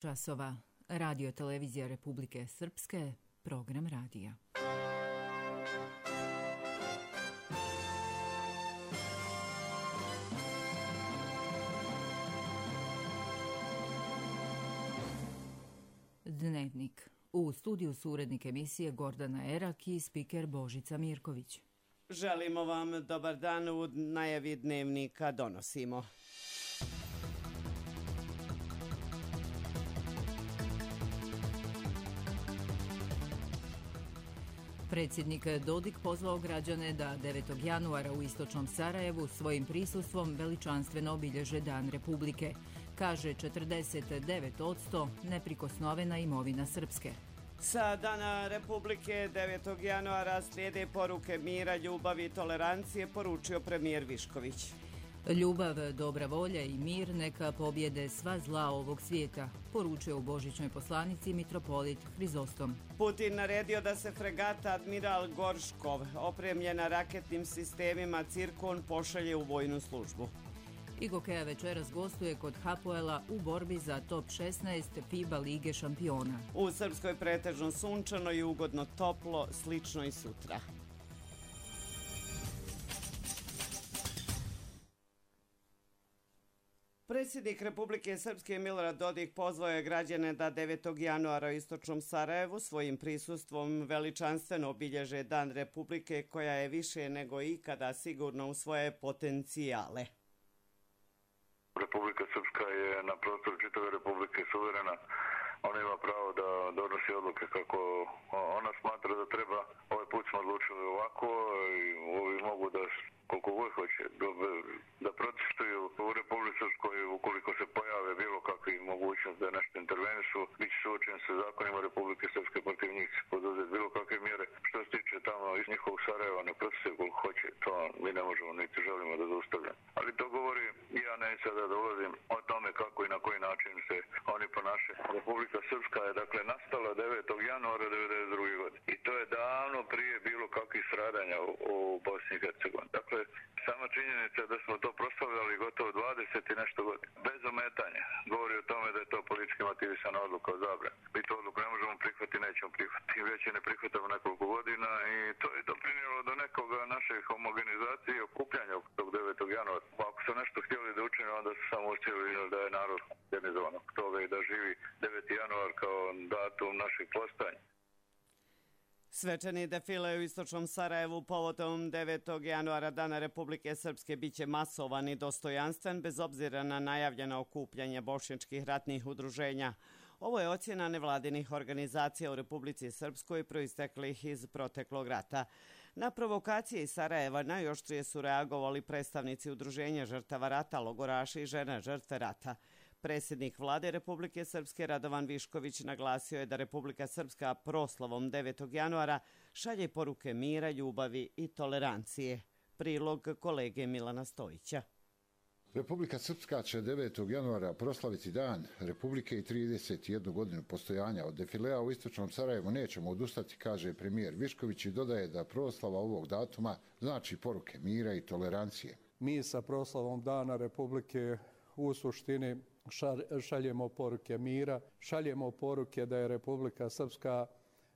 Časova. Radio televizija Republike Srpske, program radija. Dnevnik. U studiju su urednik emisije Gordana Erak i spiker Božica Mirković. Želimo vam dobar dan. U najavi dnevnika donosimo. Predsjednik Dodik pozvao građane da 9. januara u istočnom Sarajevu svojim prisustvom veličanstveno obilježe Dan Republike. Kaže 49% neprikosnovena imovina Srpske. Sa Dana Republike 9. januara slijede poruke mira, ljubavi i tolerancije, poručio premijer Višković. Ljubav, dobra volja i mir neka pobjede sva zla ovog svijeta, poručio u božićnoj poslanici mitropolit Hrizostom. Putin naredio da se fregata Admiral Gorškov, opremljena raketnim sistemima Cirkon, pošalje u vojnu službu. Igokeja večeras gostuje kod Hapoela u borbi za top 16 FIBA Lige šampiona. U Srpskoj pretežno sunčano i ugodno toplo, slično i sutra. Predsjednik Republike Srpske Milorad Dodik pozvao je građane da 9. januara u istočnom Sarajevu svojim prisustvom veličanstveno obilježe Dan Republike, koja je više nego ikada sigurno u svoje potencijale. Republika Srpska je na prostoru čitave Republike suverena. Ona ima pravo da donosi odluke kako ona smatra da treba. Ovaj put smo odlučili ovako i ovi mogu da koliko god hoće da protestuju u Republici Srpskoj. Ukoliko se pojave bilo kakvi mogućnost da nešto intervenišu, bit će suočen sa zakonima Republike Srpske, protiv njih se poduzeti bilo kakve mjere. Što se tiče tamo iz njihovog Sarajeva, ne protestuju koliko hoće, to mi ne možemo niti želimo da zaustavljamo. Ali to govori, ja neću sada da ulazim o tome kako i na koji način se oni ponašaju. Republika Srpska je dakle nastala 9. januara 1992. godine i to je davno prije bilo kakvih stradanja u Bosni i Hercegovini. Dakle, sama činjenica da smo to proslavljali gotovo 20 i nešto godina, bez ometanja, govori o tome da je to politički motivisana odluka o zabrani. Mi tu odluku ne možemo prihvatiti, nećemo prihvatiti. Već je ne prihvatamo nekoliko godina i to je doprinijelo do nekoga naše homogenizacije i okupljanja tog 9. januara. Ako su nešto htjeli da učine, onda su samo htjeli da je narod organizovan oko toga i da živi 9. januar kao datum našeg postojanja. Svečani defile u istočnom Sarajevu povodom 9. januara Dana Republike Srpske biće masovan i dostojanstven bez obzira na najavljeno okupljanje bošnjačkih ratnih udruženja. Ovo je ocjena nevladinih organizacija u Republici Srpskoj proisteklih iz proteklog rata. Na provokacije iz Sarajeva najoštrije su reagovali predstavnici udruženja žrtava rata, logoraši i žene žrtve rata. Predsjednik vlade Republike Srpske Radovan Višković naglasio je da Republika Srpska proslavom 9. januara šalje poruke mira, ljubavi i tolerancije. Prilog kolege Milana Stojića. Republika Srpska će 9. januara proslaviti Dan Republike i 31 godinu postojanja. Od defilea u istočnom Sarajevu nećemo odustati, kaže premijer Višković i dodaje da proslava ovog datuma znači poruke mira i tolerancije. Mi sa proslavom Dana Republike u suštini šaljemo poruke mira, šaljemo poruke da je Republika Srpska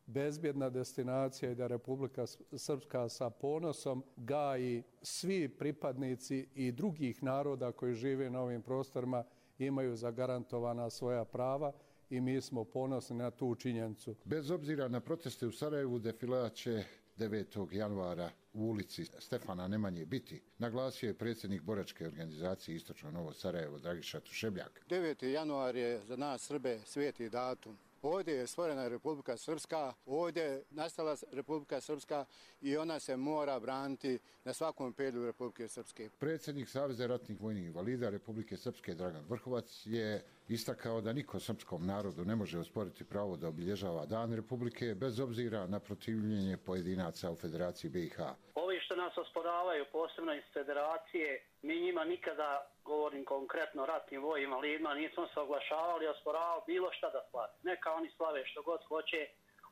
bezbjedna destinacija i da Republika Srpska sa ponosom gaji svi pripadnici i drugih naroda koji žive na ovim prostorima imaju zagarantovana svoja prava i mi smo ponosni na tu činjenicu. Bez obzira na proteste u Sarajevu, defilea će 9. januara u ulici Stefana Nemanje biti, naglasio je predsjednik boračke organizacije Istočno Novo Sarajevo Dragiša Tušebljak. 9. januar je za nas Srbe sveti datum. Ovdje je stvorena Republika Srpska, ovdje je nastala Republika Srpska i ona se mora braniti na svakom pedlju Republike Srpske. Predsjednik Saveza ratnih vojnih invalida Republike Srpske Dragan Vrhovac je istakao da niko srpskom narodu ne može osporiti pravo da obilježava Dan Republike bez obzira na protivljenje pojedinaca u Federaciji BiH. Ovi što nas osporavaju, posebno iz Federacije, mi njima nikada, govorim konkretno ratnim vojnim invalidima, nismo se oglašavali, osporavali bilo šta da slave. Neka oni slave što god hoće,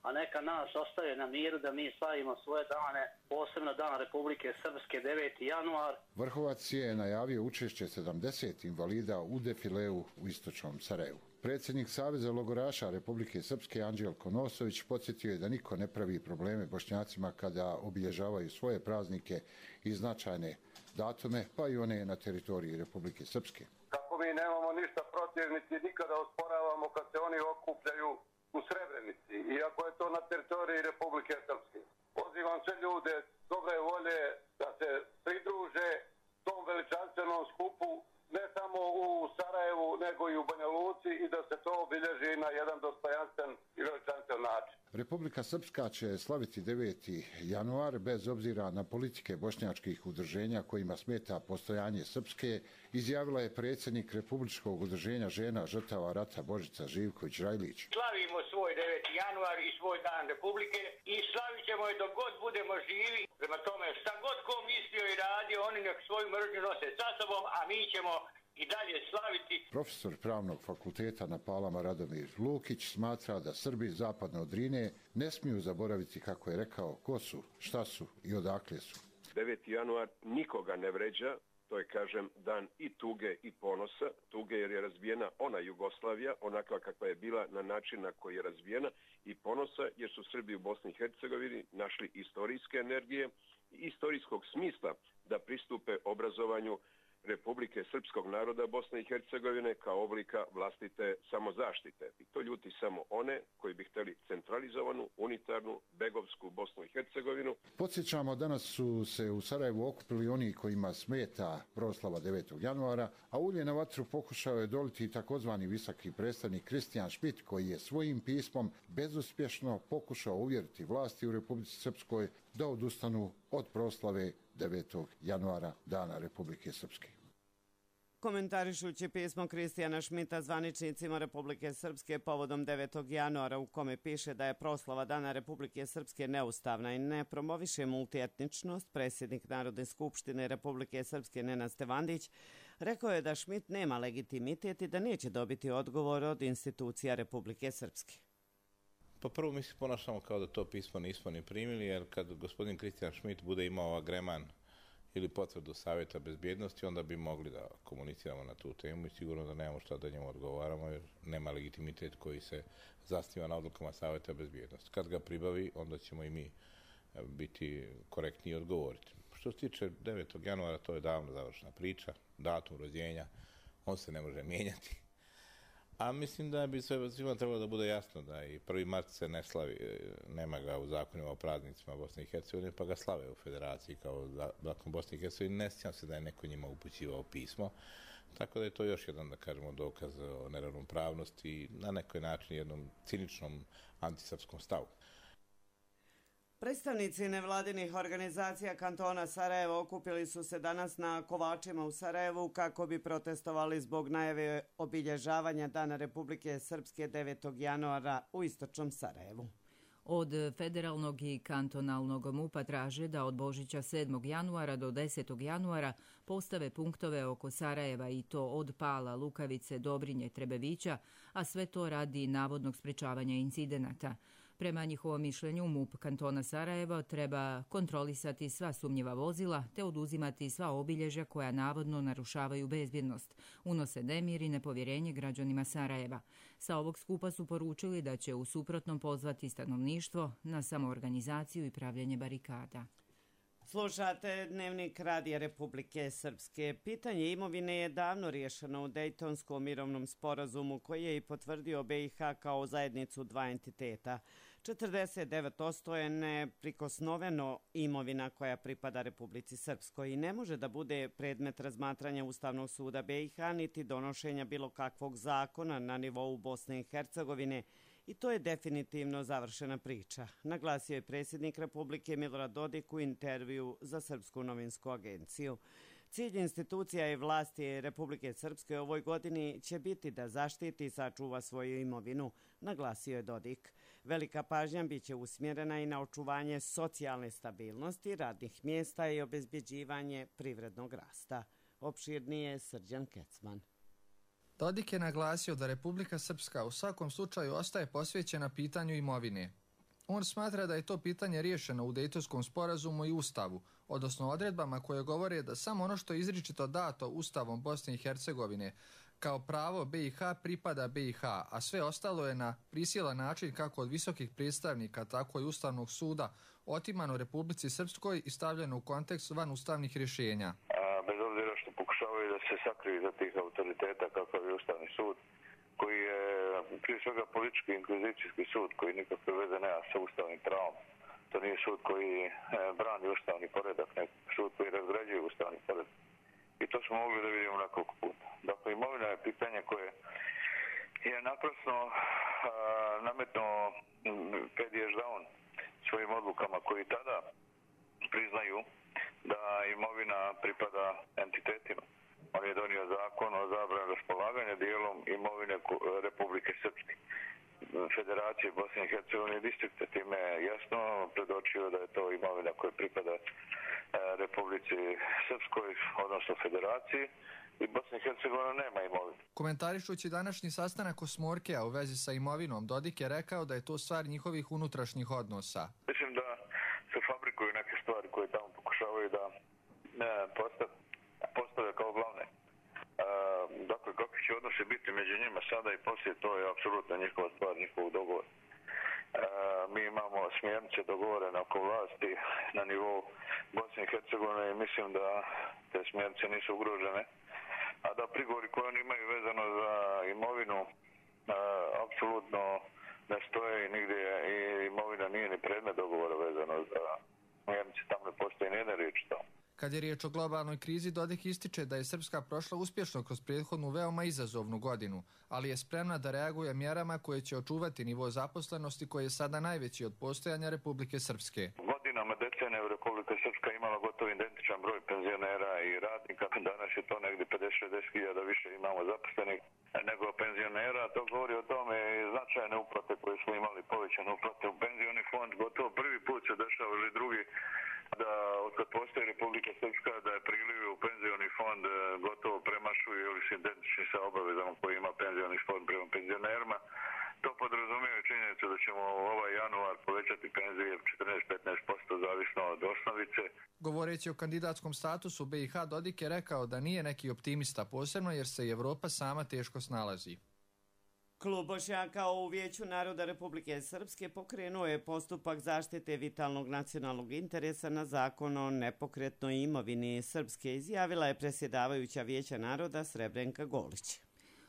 a neka nas ostave na miru da mi slavimo svoje dane, posebno Dan Republike Srpske 9. januar. Vrhovac je najavio učešće 70 invalida u defileu u istočnom Sarajevu. Predsjednik Saveza logoraša Republike Srpske Anđelko Nosović podsjetio je da niko ne pravi probleme Bošnjacima kada obilježavaju svoje praznike i značajne datume, pa i one na teritoriji Republike Srpske. Kako mi nemamo ništa protiv, niti nikada osporavamo kad se oni okupljaju u Srebrenici, iako je to na teritoriji Republike Srpske. Pozivam sve ljude dobre volje da se pridruže tom veličanstvenom skupu, ne samo u Sarajevu, nego i u Banja Luci, i da se to obilježi na jedan dostojanstven i veličanstven način. Republika Srpska će slaviti 9. januar bez obzira na politike bošnjačkih udruženja kojima smeta postojanje Srpske, izjavila je predsjednik Republičkog udruženja žena žrtava rata Božica Živković-Rajlić. Slavimo svoj 9. januar i svoj dan Republike i slavit ćemo je dok god budemo živi. Prema tome, šta god ko mislio i radio, oni nek svoju mržnju nose sa sobom, a mi ćemo i dalje slaviti. Profesor Pravnog fakulteta na Palama Radomir Lukić smatra da Srbi zapadno od Drine ne smiju zaboraviti, kako je rekao, ko su, šta su i odakle su. 9. januar nikoga ne vređa, to je, kažem, dan i tuge i ponosa. Tuge jer je razbijena ona Jugoslavija, onakva kakva je bila na način na koji je razbijena, i ponosa jer su Srbi u Bosni i Hercegovini našli istorijske energije i istorijskog smisla da pristupe obrazovanju Republike Srpskog naroda Bosne i Hercegovine kao oblika vlastite samozaštite. I to ljuti samo one koji bi htjeli centralizovanu, unitarnu, begovsku Bosnu i Hercegovinu. Podsjećamo, danas su se u Sarajevu okupili oni kojima smeta proslava 9. januara, a ulje na vatru pokušao je doliti takozvani visoki predstavnik Kristijan Šmit, koji je svojim pismom bezuspješno pokušao uvjeriti vlasti u Republici Srpskoj da odustanu od proslave 9. januara, Dana Republike Srpske. Komentarišući pismo Kristijana Šmita zvaničnicima Republike Srpske povodom 9. januara, u kome piše da je proslava Dana Republike Srpske neustavna i ne promoviše multietničnost, predsjednik Narodne skupštine Republike Srpske Nenad Stevandić rekao je da Šmit nema legitimitet i da neće dobiti odgovor od institucija Republike Srpske. Pa prvo mi se ponašamo kao da to pismo nismo ni primili, jer kad gospodin Kristijan Šmit bude imao agreman ili potvrdu Savjeta bezbjednosti, onda bi mogli da komuniciramo na tu temu i sigurno da nemamo šta da njemu odgovaramo, jer nema legitimitet koji se zasniva na odlukama Savjeta bezbjednosti. Kad ga pribavi, onda ćemo i mi biti korektni i odgovoriti. Što se tiče 9. januara, to je davno završena priča, datum rođenja, on se ne može mijenjati. A mislim da bi svima trebalo da bude jasno da i 1. mart se ne slavi, nema ga u zakonima o praznicima Bosne i Hercegovine, pa ga slave u Federaciji kao zakon Bosne i Hercegovine. Ne sjećam se da je neko njima upućivao pismo, tako da je to još jedan, da kažemo, dokaz o neravnopravnosti i na nekoj način jednom ciničnom antisrpskom stavu. Predstavnici nevladinih organizacija kantona Sarajevo okupili su se danas na Kovačima u Sarajevu kako bi protestovali zbog najave obilježavanja Dana Republike Srpske 9. januara u istočnom Sarajevu. Od federalnog i kantonalnog MUP-a traže da od Božića 7. januara do 10. januara postave punktove oko Sarajeva, i to od Pala, Lukavice, Dobrinje, Trebevića, a sve to radi navodnog sprečavanja incidenata. Prema njihovom mišljenju, MUP kantona Sarajevo treba kontrolisati sva sumnjiva vozila te oduzimati sva obilježja koja navodno narušavaju bezbjednost, unose nemir i nepovjerenje građanima Sarajeva. Sa ovog skupa su poručili da će u suprotnom pozvati stanovništvo na samoorganizaciju i pravljenje barikada. Slušate Dnevnik Radija Republike Srpske. Pitanje imovine je davno riješeno u Dejtonskom mirovnom sporazumu koji je i potvrdio BiH kao zajednicu dva entiteta. 49% je neprikosnoveno imovina koja pripada Republici Srpskoj i ne može da bude predmet razmatranja Ustavnog suda BiH niti donošenja bilo kakvog zakona na nivou Bosne i Hercegovine, i to je definitivno završena priča, naglasio je predsjednik Republike Milorad Dodik u intervju za Srpsku novinsku agenciju. Cilj institucija i vlasti Republike Srpske ovoj godini će biti da zaštiti i sačuva svoju imovinu, naglasio je Dodik. Velika pažnja biće usmjerena i na očuvanje socijalne stabilnosti, radnih mjesta i obezbjeđivanje privrednog rasta. Opširnije Srđan Kecman. Dodik je naglasio da Republika Srpska u svakom slučaju ostaje posvećena pitanju imovine. On smatra da je to pitanje riješeno u Dejtonskom sporazumu i Ustavu, odnosno odredbama koje govore da samo ono što je izričito dato Ustavom Bosne i Hercegovine Kao pravo BiH pripada BiH, a sve ostalo je na prisilan način kako od visokih predstavnika, tako i Ustavnog suda otimano Republici Srpskoj i stavljeno u kontekst van ustavnih rješenja. Bez obzira što pokušavaju da se sakriju za tih autoriteta kakav je Ustavni sud, koji je prije svega politički inkvizicijski sud, koji nikakve veze nema sa ustavnim pravom. To nije sud koji brani ustavni poredak, nego sud koji razgrađuje ustavni poredak. I to smo mogli da vidimo nekoliko puta. Dakle, imovina je pitanje koje je naprasno nametnuo Pediš Daun svojim odlukama koji tada priznaju da imovina pripada entitetima. On je donio zakon o zabrani raspolaganja dijelom imovine Republike Srpske, Federacije Bosne i Hercegovine i distrikta. Time je jasno predočio da je to imovina koja pripada Republici Srpskoj, odnosno Federaciji, i Bosna i Hercegovina nema imovine. Komentarišući današnji sastanak Osmorkea u vezi sa imovinom, Dodik je rekao da je to stvar njihovih unutrašnjih odnosa. Mislim da se fabrikuju neke stvari koje tamo pokušavaju da postave kao glavne. Dakle, kakvi će odnosi biti među njima sada i poslije, to je apsolutno njihova stvar, njihovog dogovora. Mi imamo smjernice dogovorene oko vlasti na nivou Bosne i Hercegovine i mislim da te smjernice nisu ugrožene, a da prigovori koje oni imaju vezano za imovinu apsolutno ne stoje i nigdje i imovina nije ni predmet dogovora vezano za smjernice, tamo ne postoji nijedna riječ tamo. Kad je riječ o globalnoj krizi, Dodik ističe da je Srpska prošla uspješno kroz prethodnu veoma izazovnu godinu, ali je spremna da reaguje mjerama koje će očuvati nivo zaposlenosti koji je sada najveći od postojanja Republike Srpske. Godinama, decenija Republika Srpska imala gotovo identičan broj penzionera i radnika. Danas je to negdje 50-60 hiljada više imamo zaposlenih nego penzionera. To govori o tome i značajne uplate koje smo imali, povećane uplate u penzioni fond. Gotovo prvi put se dešava ili drugi da otkad postoji Republika Srpska da je prilivi u penzioni fond gotovo premašuju ili su identični sa obavezama koje ima penzioni fond prema penzionerima. To podrazumijeva činjenicu da ćemo ovaj januar povećati penzije 14-15% zavisno od osnovice. Govoreći o kandidatskom statusu BiH, Dodik je rekao da nije neki optimista, posebno jer se i Evropa sama teško snalazi. Klub Bošnjaka u Vijeću naroda Republike Srpske pokrenuo je postupak zaštite vitalnog nacionalnog interesa na zakon o nepokretnoj imovini Srpske, izjavila je predsjedavajuća Vijeća naroda Srebrenka Golić.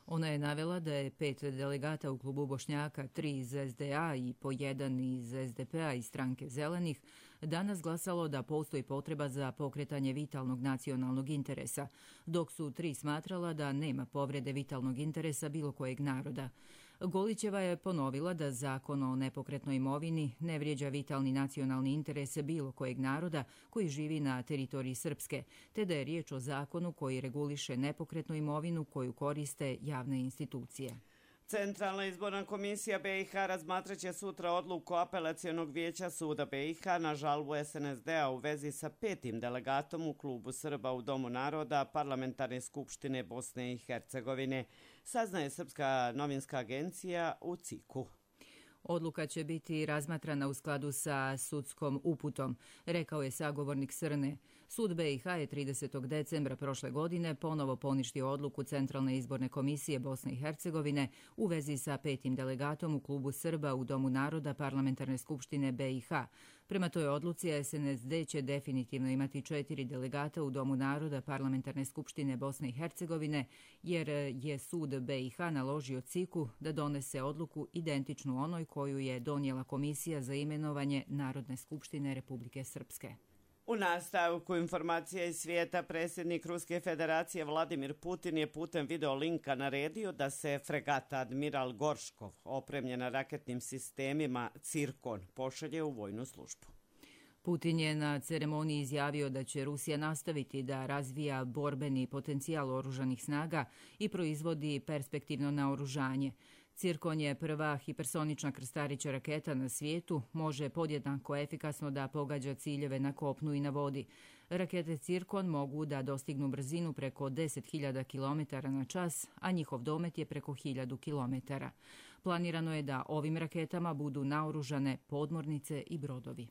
Ona je navela da je 5 delegata u klubu Bošnjaka, 3 iz SDA i po 1 iz SDP-a i stranke Zelenih, danas glasalo da postoji potreba za pokretanje vitalnog nacionalnog interesa, dok su 3 smatrala da nema povrede vitalnog interesa bilo kojeg naroda. Golićeva je ponovila da zakon o nepokretnoj imovini ne vrijeđa vitalni nacionalni interes bilo kojeg naroda koji živi na teritoriji Srpske, te da je riječ o zakonu koji reguliše nepokretnu imovinu koju koriste javne institucije. Centralna izborna komisija BiH razmatraće sutra odluku Apelacionog vijeća suda BiH na žalbu SNSD-a u vezi sa 5. delegatom u klubu Srba u Domu naroda Parlamentarne skupštine Bosne i Hercegovine, saznaje Srpska novinska agencija u CIK-u. Odluka će biti razmatrana u skladu sa sudskom uputom, rekao je sagovornik Srne. Sud BiH je 30. decembra prošle godine ponovo poništio odluku Centralne izborne komisije Bosne i Hercegovine u vezi sa 5. delegatom u klubu Srba u Domu naroda Parlamentarne skupštine BiH. Prema toj odluci SNSD će definitivno imati 4 delegata u Domu naroda Parlamentarne skupštine Bosne i Hercegovine, jer je sud BiH naložio CIK-u da donese odluku identičnu onoj koju je donijela Komisija za imenovanje Narodne skupštine Republike Srpske. U nastavku informacija iz svijeta, predsjednik Ruske federacije Vladimir Putin je putem video linka naredio da se fregata Admiral Gorškov, opremljena raketnim sistemima Cirkon, pošalje u vojnu službu. Putin je na ceremoniji izjavio da će Rusija nastaviti da razvija borbeni potencijal oružanih snaga i proizvodi perspektivno naoružanje. Cirkon je prva hipersonična krstarića raketa na svijetu, može podjednako efikasno da pogađa ciljeve na kopnu i na vodi. Rakete Cirkon mogu da dostignu brzinu preko 10.000 km na čas, a njihov domet je preko 1.000 km. Planirano je da ovim raketama budu naoružane podmornice i brodovi.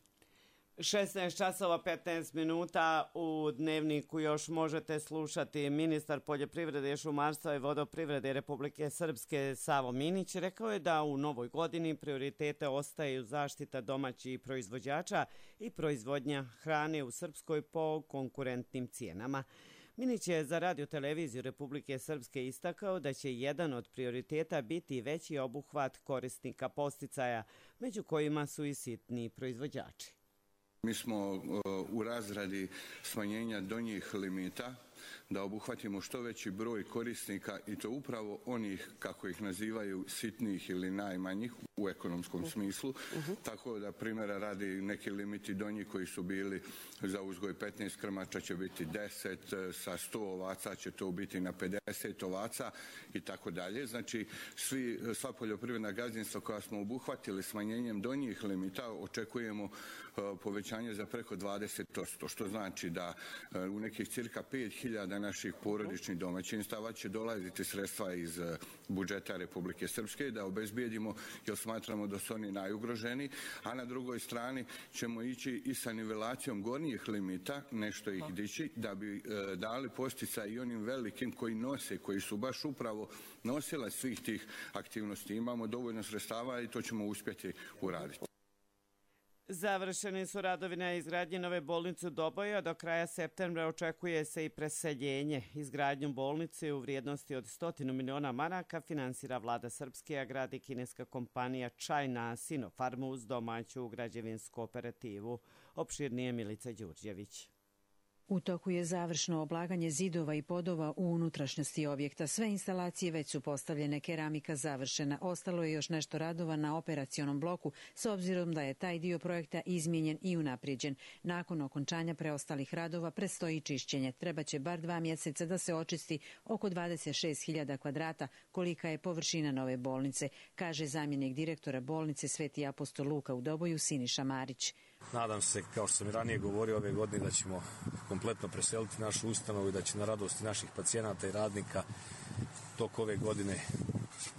16 časova 15 minuta u Dnevniku još možete slušati. Ministar poljoprivrede, šumarstva i vodoprivrede Republike Srpske Savo Minić rekao je da u novoj godini prioritete ostaju zaštita domaćih proizvođača i proizvodnja hrane u Srpskoj po konkurentnim cijenama. Minić je za Radio-televiziju Republike Srpske istakao da će jedan od prioriteta biti veći obuhvat korisnika podsticaja, među kojima su i sitni proizvođači. Mi smo u razradi smanjenja donjih limita da obuhvatimo što veći broj korisnika i to upravo onih, kako ih nazivaju, sitnih ili najmanjih u ekonomskom smislu. Tako da primjera radi neki limiti donji koji su bili za uzgoj 15 krmača će biti 10, sa 100 ovaca će to biti na 50 ovaca i tako dalje. Znači sva poljoprivredna gazdinstva koja smo obuhvatili smanjenjem donjih limita očekujemo povećanje za preko 20%, što znači da u nekih cirka 5000 naših porodičnih domaćinstava će dolaziti sredstva iz budžeta Republike Srpske da obezbijedimo, jer smatramo da su oni najugroženi, a na drugoj strani ćemo ići i sa nivelacijom gornjih limita, nešto ih dići, da bi dali posticaj i onim velikim koji su baš upravo nosila svih tih aktivnosti. Imamo dovoljno sredstava i to ćemo uspjeti uraditi. Završeni su radovi na izgradnji nove bolnice u Doboju, a do kraja septembra očekuje se i preseljenje. Izgradnju bolnice u vrijednosti od 100 miliona maraka finansira vlada Srpske, a gradi kineska kompanija China Sinopharm uz domaću građevinsku operativu. Opširnije Milica Đurđević. U toku je završno oblaganje zidova i podova u unutrašnjosti objekta. Sve instalacije već su postavljene, keramika završena. Ostalo je još nešto radova na operacionom bloku, s obzirom da je taj dio projekta izmijenjen i unaprijeđen. Nakon okončanja preostalih radova predstoji čišćenje. Trebaće bar 2 mjeseca da se očisti oko 26.000 kvadrata, kolika je površina nove bolnice, kaže zamjenik direktora bolnice Sveti apostol Luka u Doboju Siniša Marić. Nadam se, kao što sam i ranije govorio, ove godine da ćemo kompletno preseliti našu ustanovu i da će na radosti naših pacijenata i radnika tok ove godine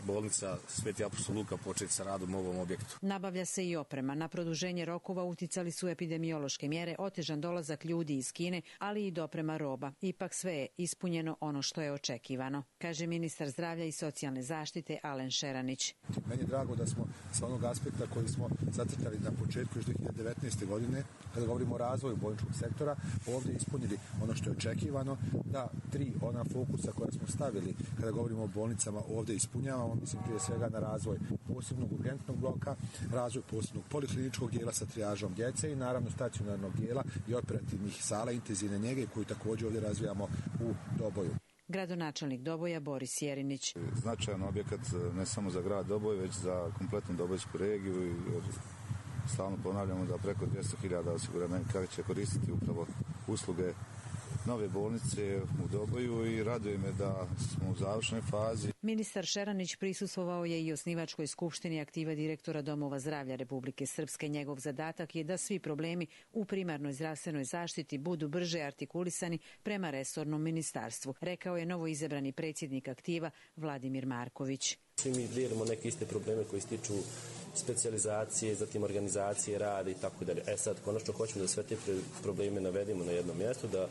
bolnica Sveti apostol Luka početi sa radom u ovom objektu. Nabavlja se i oprema. Na produženje rokova uticali su epidemiološke mjere, otežan dolazak ljudi iz Kine, ali i doprema roba. Ipak sve je ispunjeno ono što je očekivano, kaže ministar zdravlja i socijalne zaštite Alen Šeranić. Meni je drago da smo sa onog aspekta koji smo zacrtali na početku još 2019. godine, kada govorimo o razvoju bolničkog sektora, ovdje ispunili ono što je očekivano, da 3 ona fokusa koja smo stavili kada govorimo o bolnicama ovdje ispunjavamo, mislim prije svega na razvoj posebnog urgentnog bloka, razvoj posebnog polikliničkog dijela sa trijažom djece i naravno stacionarnog dijela i operativnih sala intenzivne njege koju također ovdje razvijamo u Doboju. Gradonačelnik Doboja Boris Jerinić. Značajan objekat ne samo za grad Doboj, već za kompletnu dobojsku regiju i stalno ponavljamo da preko 200.000 osiguranika će koristiti upravo usluge nove bolnice u Doboju i raduje me da smo u završnoj fazi. Ministar Šeranić prisustvovao je i osnivačkoj skupštini aktiva direktora Domova zdravlja Republike Srpske. Njegov zadatak je da svi problemi u primarnoj zdravstvenoj zaštiti budu brže artikulisani prema resornom ministarstvu, rekao je novoizabrani predsjednik aktiva Vladimir Marković. Svi mi dijelimo neke iste probleme koji se tiču specijalizacije, zatim organizacije, rada i tako dalje. Sad, konačno hoćemo da sve te probleme navedemo na jedno mjesto, da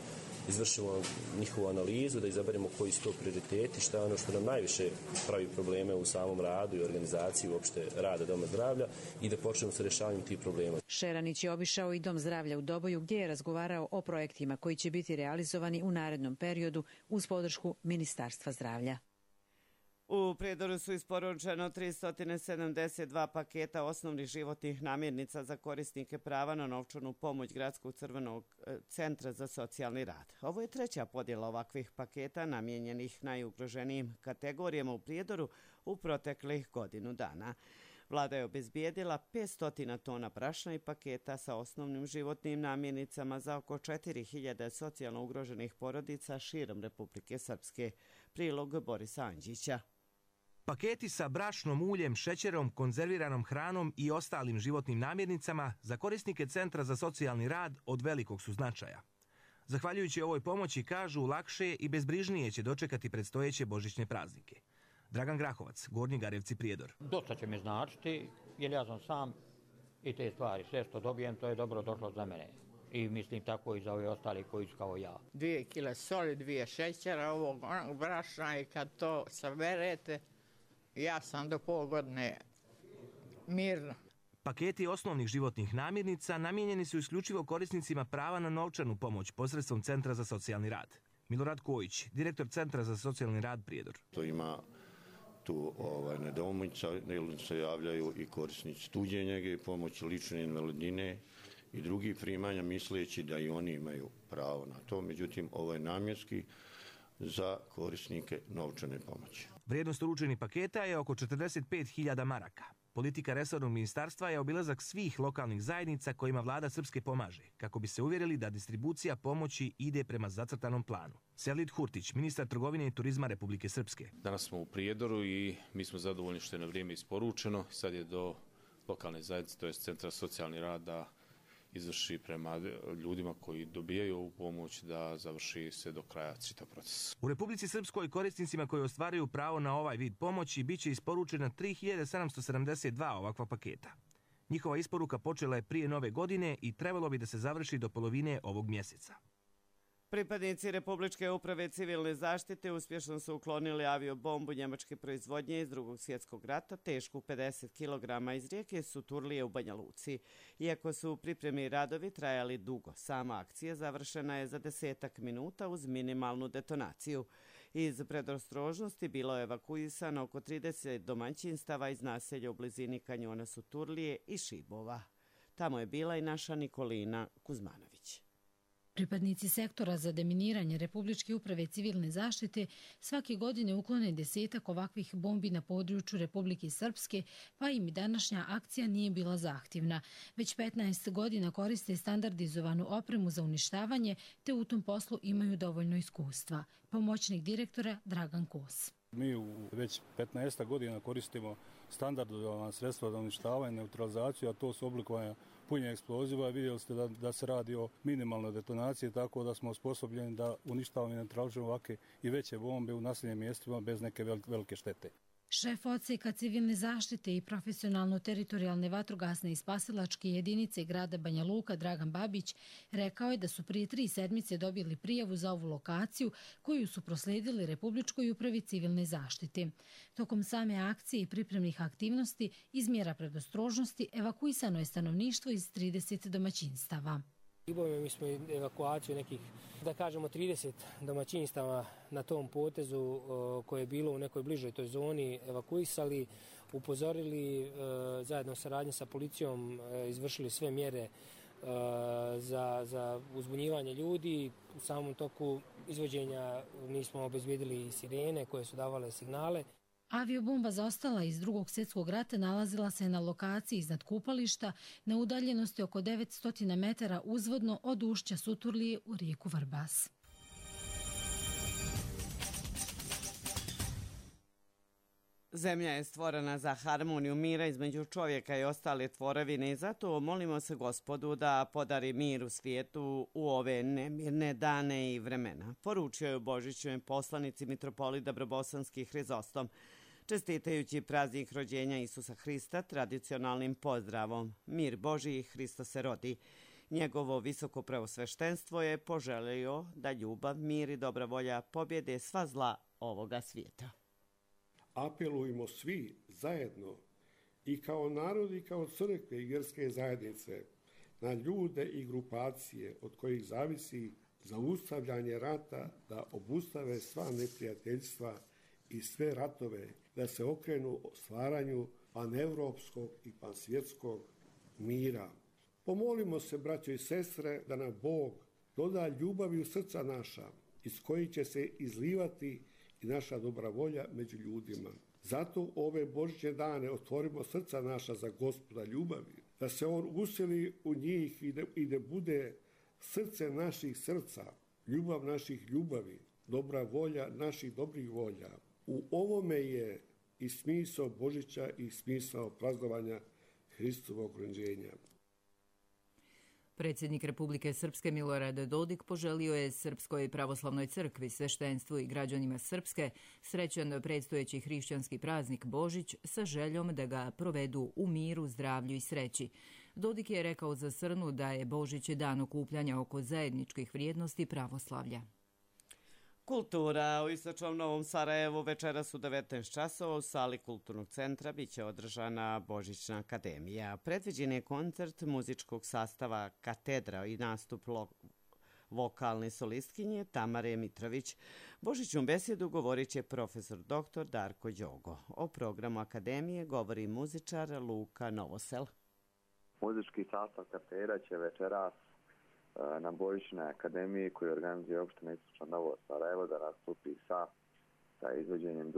izvršimo njihovu analizu, da izaberemo koji su to prioriteti, šta je ono što nam najviše pravi probleme u samom radu i organizaciji uopšte rada Doma zdravlja i da počnemo sa rješavanjem tih problema. Šeranić je obišao i Dom zdravlja u Doboju gdje je razgovarao o projektima koji će biti realizovani u narednom periodu uz podršku Ministarstva zdravlja. U Prijedoru su isporučeno 372 paketa osnovnih životnih namirnica za korisnike prava na novčanu pomoć Gradskog crvenog centra za socijalni rad. Ovo je 3. podjela ovakvih paketa namijenjenih najugroženijim kategorijama u Prijedoru u proteklih godinu dana. Vlada je obezbijedila 500 tona brašna i paketa sa osnovnim životnim namirnicama za oko 4.000 socijalno ugroženih porodica širom Republike Srpske. Prilog Borisa Anđića. Paketi sa brašnom, uljem, šećerom, konzerviranom hranom i ostalim životnim namirnicama za korisnike Centra za socijalni rad od velikog su značaja. Zahvaljujući ovoj pomoći, kažu, lakše i bezbrižnije će dočekati predstojeće božićne praznike. Dragan Grahovac, Gornji Garevci, Prijedor. Dosta će mi značiti, jer ja sam sam i te stvari. Sve što dobijem, to je dobro došlo za mene. I mislim tako i za ove ostali koji su kao ja. 2 kile soli, 2 šećera, ovog brašna i kad to saberete, ja sam do pol godine mirno. Paketi osnovnih životnih namirnica namijenjeni su isključivo korisnicima prava na novčanu pomoć posredstvom Centra za socijalni rad. Milorad Kojić, direktor Centra za socijalni rad Prijedor. To ima tu nedoumica, jer se javljaju i korisnici tuđe njege, pomoći lične invalidnine i drugih primanja, misleći da i oni imaju pravo na to. Međutim, ovo je namjenski za korisnike novčane pomoći. Vrijednost uručenih paketa je oko 45.000 maraka. Politika resornog ministarstva je obilazak svih lokalnih zajednica kojima vlada Srpske pomaže, kako bi se uvjerili da distribucija pomoći ide prema zacrtanom planu. Sejlit Hurtić, ministar trgovine i turizma Republike Srpske. Danas smo u Prijedoru i mi smo zadovoljni što je na vrijeme isporučeno. Sad je do lokalne zajednice, to je Centra socijalni rad, da izvrši prema ljudima koji dobijaju ovu pomoć, da završi se do kraja čitav proces. U Republici Srpskoj korisnicima koji ostvaruju pravo na ovaj vid pomoći biće isporučena 3772 ovakva paketa. Njihova isporuka počela je prije nove godine i trebalo bi da se završi do polovine ovog mjeseca. Pripadnici Republičke uprave civilne zaštite uspješno su uklonili aviobombu njemačke proizvodnje iz Drugog svjetskog rata, tešku 50 kg iz rijeke Suturlije u Banja Luci. Iako su pripremni radovi trajali dugo, sama akcija završena je za 10 minuta uz minimalnu detonaciju. Iz predostrožnosti bilo je evakuisano oko 30 domaćinstava iz naselja u blizini kanjona Suturlije i Šibova. Tamo je bila i naša Nikolina Kuzmanović. Pripadnici sektora za deminiranje Republičke uprave civilne zaštite svake godine uklone 10 ovakvih bombi na području Republike Srpske, pa im i današnja akcija nije bila zahtjevna. Već 15 godina koriste standardizovanu opremu za uništavanje, te u tom poslu imaju dovoljno iskustva. Pomoćnik direktora Dragan Kos. Mi već 15 godina koristimo standardizovana sredstva za uništavanje, neutralizaciju, a to su oblikovanja punjenja eksploziva. Vidjeli ste da se radi o minimalnoj detonaciji, tako da smo osposobljeni da uništavamo i neutralizujemo ovakve i veće bombe u naseljenim mjestima bez neke velike štete. Šef odseka civilne zaštite i profesionalno-teritorijalne vatrogasne i spasilačke jedinice grada Banja Luka Dragan Babić rekao je da su prije 3 sedmice dobili prijavu za ovu lokaciju koju su proslijedili Republičkoj upravi civilne zaštite. Tokom same akcije i pripremnih aktivnosti iz mjera predostrožnosti evakuisano je stanovništvo iz 30 domaćinstava. Mi smo evakuaciju nekih, da kažemo, 30 domaćinstava na tom potezu koje je bilo u nekoj bližoj toj zoni evakuisali, upozorili, zajedno saradnje sa policijom izvršili sve mjere za uzbunjivanje ljudi. U samom toku izvođenja mi smo obezbijedili sirene koje su davale signale. Aviobomba zaostala iz Drugog svjetskog rata nalazila se na lokaciji iznad kupališta na udaljenosti oko 900 metara uzvodno od ušća Suturlije u rijeku Vrbas. Zemlja je stvorena za harmoniju mira između čovjeka i ostale tvorevine i zato molimo se Gospodu da podari mir u svijetu u ove nemirne dane i vremena, poručio je u Božićnoj poslanici mitropolit Dabrobosanski Hrizostom, čestitajući praznik rođenja Isusa Hrista tradicionalnim pozdravom Mir Božji, Hristo se rodi. Njegovo visoko preosveštenstvo je poželio da ljubav, mir i dobra volja pobjede sva zla ovoga svijeta. Apelujemo svi zajedno i kao narod i kao crkve i vjerske zajednice na ljude i grupacije od kojih zavisi zaustavljanje rata, da obustave sva neprijateljstva i sve ratove, da se okrenu stvaranju panevropskog i pansvjetskog mira. Pomolimo se, braćo i sestre, da nam Bog doda ljubavi u srca naša, iz kojih će se izlivati i naša dobra volja među ljudima. Zato ove Božićne dane otvorimo srca naša za Gospoda ljubavi, da se On useli u njih i da bude srce naših srca, ljubav naših ljubavi, dobra volja naših dobrih volja. U ovome je i smisao Božića i smisao praznovanja Hristovog rođenja. Predsjednik Republike Srpske Milorad Dodik poželio je Srpskoj pravoslavnoj crkvi, sveštenstvu i građanima Srpske srećan predstojeći hrišćanski praznik Božić sa željom da ga provedu u miru, zdravlju i sreći. Dodik je rekao za Srnu da je Božić dan okupljanja oko zajedničkih vrijednosti pravoslavlja. Kultura u istočnom Novom Sarajevu večeras u 19 časova u sali Kulturnog centra biće održana Božićna akademija. Predviđen je koncert muzičkog sastava Katedra i nastup vokalne solistkinje Tamare Mitrović. Božićnu besedu govorit će profesor dr. Darko Đogo. O programu akademije govori muzičar Luka Novosel. Muzički sastav Katedra će večeras na Božićnoj akademiji koju organizuje opština Istočno Novo Sarajevo da nastupi sa izvođenjem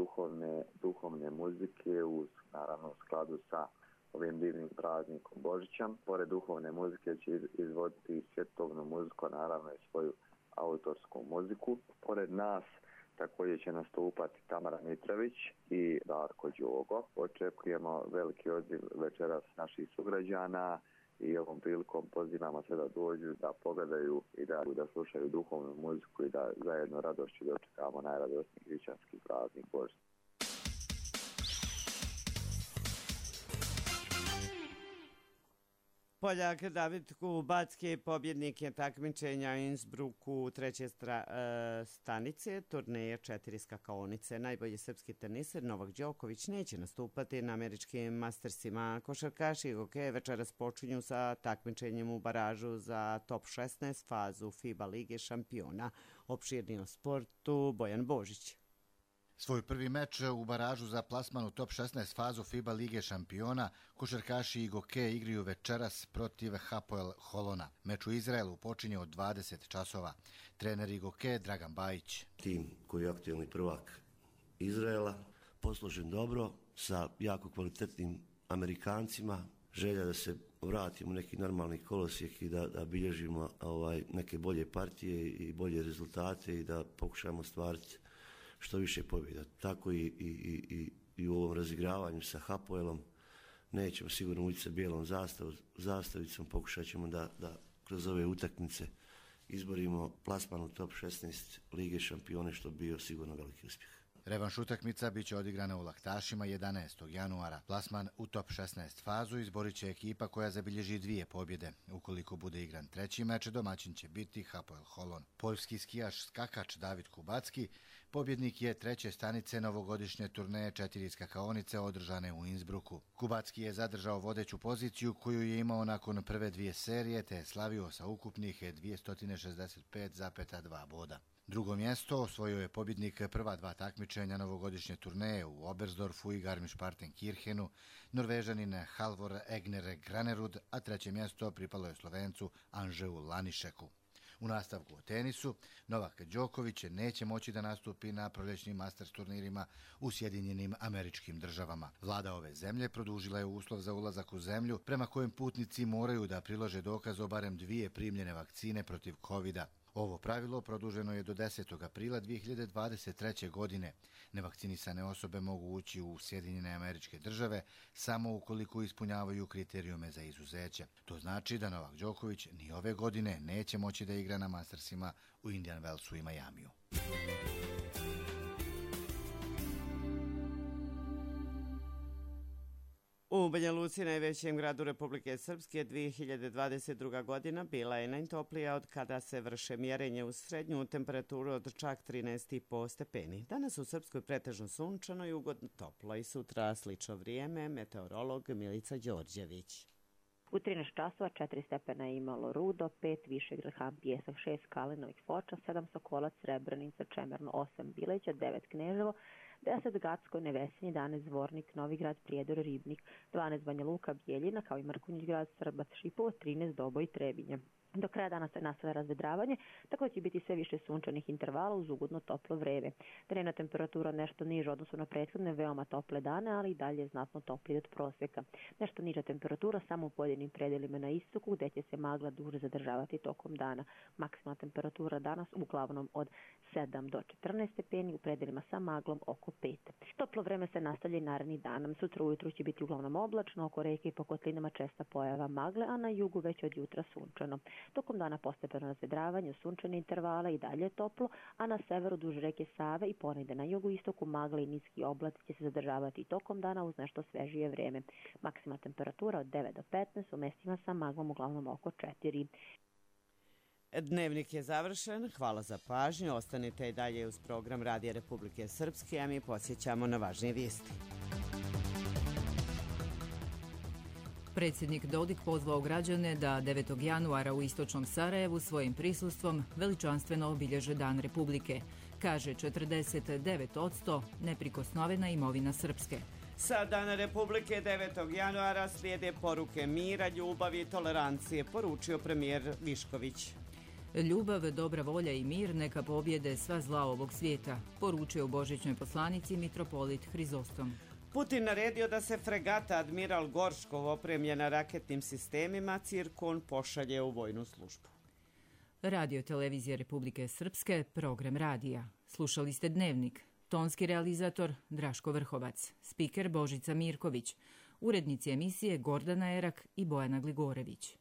duhovne muzike naravno u skladu sa ovim divnim praznikom Božića. Pored duhovne muzike će izvoditi svjetovnu muziku, naravno i svoju autorsku muziku. Pored nas također će nastupati Tamara Mitrović i Darko Đogo. Očekujemo veliki odziv večeras naših sugrađana i ovom prilikom pozivamo sve da dođu, da pogledaju i da slušaju duhovnu muziku i da zajedno radošću dočekamo najradosniji hrišćanski praznik Božić. Poljak David Kubacki pobjednik je takmičenja u Innsbrucku treće stanice turneje 4 skakaonice. Najbolji srpski teniser Novak Đoković neće nastupati na američkim Mastersima. Košarkaši Goke večeras počinju sa takmičenjem u baražu za top 16 fazu FIBA Lige šampiona. Opširniji o sportu Bojan Božić. Svoj prvi meč u baražu za plasman u top 16 fazu FIBA Lige šampiona košarkaši Igoke igraju večeras protiv Hapoel Holona. Meč u Izraelu počinje od 20 časova. Trener Igoke Dragan Bajić. Tim koji je aktualni prvak Izraela, posložen dobro sa jako kvalitetnim Amerikancima. Želja da se vratimo u neki normalni kolosijek i da bilježimo neke bolje partije i bolje rezultate i da pokušamo stvariti što više pobjeda. Tako i u ovom razigravanju sa Hapoelom nećemo sigurno ući sa bijelom zastavicom, pokušat ćemo da kroz ove utakmice izborimo plasman u top 16 Lige šampione, što bi bio sigurno veliki uspjeh. Revanš utakmica biće odigrana u Laktašima 11. januara. Plasman u top 16 fazu izborit će ekipa koja zabilježi 2 pobjede. Ukoliko bude igran treći meč, domaćin će biti Hapoel Holon. Poljski skijaš skakač David Kubacki pobjednik je treće stanice novogodišnje turneje 4 skakaonice održane u Innsbrucku. Kubacki je zadržao vodeću poziciju koju je imao nakon prve 2 serije te je slavio sa ukupnih 265,2 boda. Drugo mjesto osvojio je pobjednik prva 2 takmičenja novogodišnje turneje u Oberstdorfu i Garmisch-Partenkirchenu, Norvežanin Halvor Egner Granerud, a treće mjesto pripalo je Slovencu Anžeu Lanišeku. U nastavku o tenisu, Novak Đoković neće moći da nastupi na proljećnim Masters turnirima u Sjedinjenim Američkim Državama. Vlada ove zemlje produžila je uslov za ulazak u zemlju prema kojem putnici moraju da prilože dokaz o barem 2 primljene vakcine protiv COVID-a. Ovo pravilo produženo je do 10. aprila 2023. godine. Nevakcinisane osobe mogu ući u Sjedinjene Američke Države samo ukoliko ispunjavaju kriterijume za izuzeće. To znači da Novak Đoković ni ove godine neće moći da igra na Mastersima u Indian Wellsu i Majamiju. U Banja Luci, najvećem gradu Republike Srpske, 2022. godina bila je najtoplija od kada se vrše mjerenje u srednju temperaturu od čak 13,5 stepeni. Danas u Srpskoj pretežno sunčano i ugodno toplo i sutra slično vrijeme, meteorolog Milica Đorđević. U 13 časova 4 stepena je imalo Rudo, 5 Višegrad, Han Pijesak, 6 Kalinović, Foča, 7 Sokolac, Srebrenica, Čemerno, 8 Bileća, 9 Kneževo, 10 Gacko, Nevesinje, 11 Zvornik, Novigrad, Prijedor, Ribnik, 12 Banja Luka, Bijeljina, kao i Mrkonjić grad, Srbac, Šipovo, 13 Doboj i Trebinje. Do kraja dana se nastavlja razvedravanje, tako da će biti sve više sunčanih intervala uz ugodno toplo vreme. Dnevna temperatura nešto niža odnosno na prethodne veoma tople dane, ali i dalje znatno toplije od prosjeka. Nešto niža temperatura samo u pojedinim predelima na istoku, gde će se magla duže zadržavati tokom dana. Maksimalna temperatura danas uglavnom od 7 do 14 stepeni, u predelima sa maglom oko 5. Toplo vreme se nastavlja i narednih dana. Sutra ujutru će biti uglavnom oblačno, oko reke i po kotlinama česta pojava magle, a na jugu već od jutra sunčano. Tokom dana postepeno razvedravanje, sunčane intervale i dalje toplo, a na severu duž reke Save i ponegde na jugoistoku magle i niski oblaci će se zadržavati tokom dana uz nešto svežije vreme. Maksimalna temperatura od 9 do 15, u mestima sa maglom uglavnom oko 4. Dnevnik je završen. Hvala za pažnju. Ostanite i dalje uz program Radija Republike Srpske, a mi podsjećamo na važnije vijesti. Predsjednik Dodik pozvao građane da 9. januara u istočnom Sarajevu svojim prisustvom veličanstveno obilježe Dan Republike. Kaže 49% neprikosnovena imovina Srpske. Sa Dana Republike 9. januara slijede poruke mira, ljubavi i tolerancije, poručio premijer Višković. Ljubav, dobra volja i mir neka pobjede sva zla ovog svijeta, poručio u božićnoj poslanici mitropolit Hrizostom. Putin naredio da se fregata Admiral Gorškov opremljena raketnim sistemima Cirkon pošalje u vojnu službu. Radio Televizija Republike Srpske, program radija. Slušali ste Dnevnik. Tonski realizator Draško Vrhovac, spiker Božica Mirković, urednici emisije Gordana Erak i Bojana Gligorević.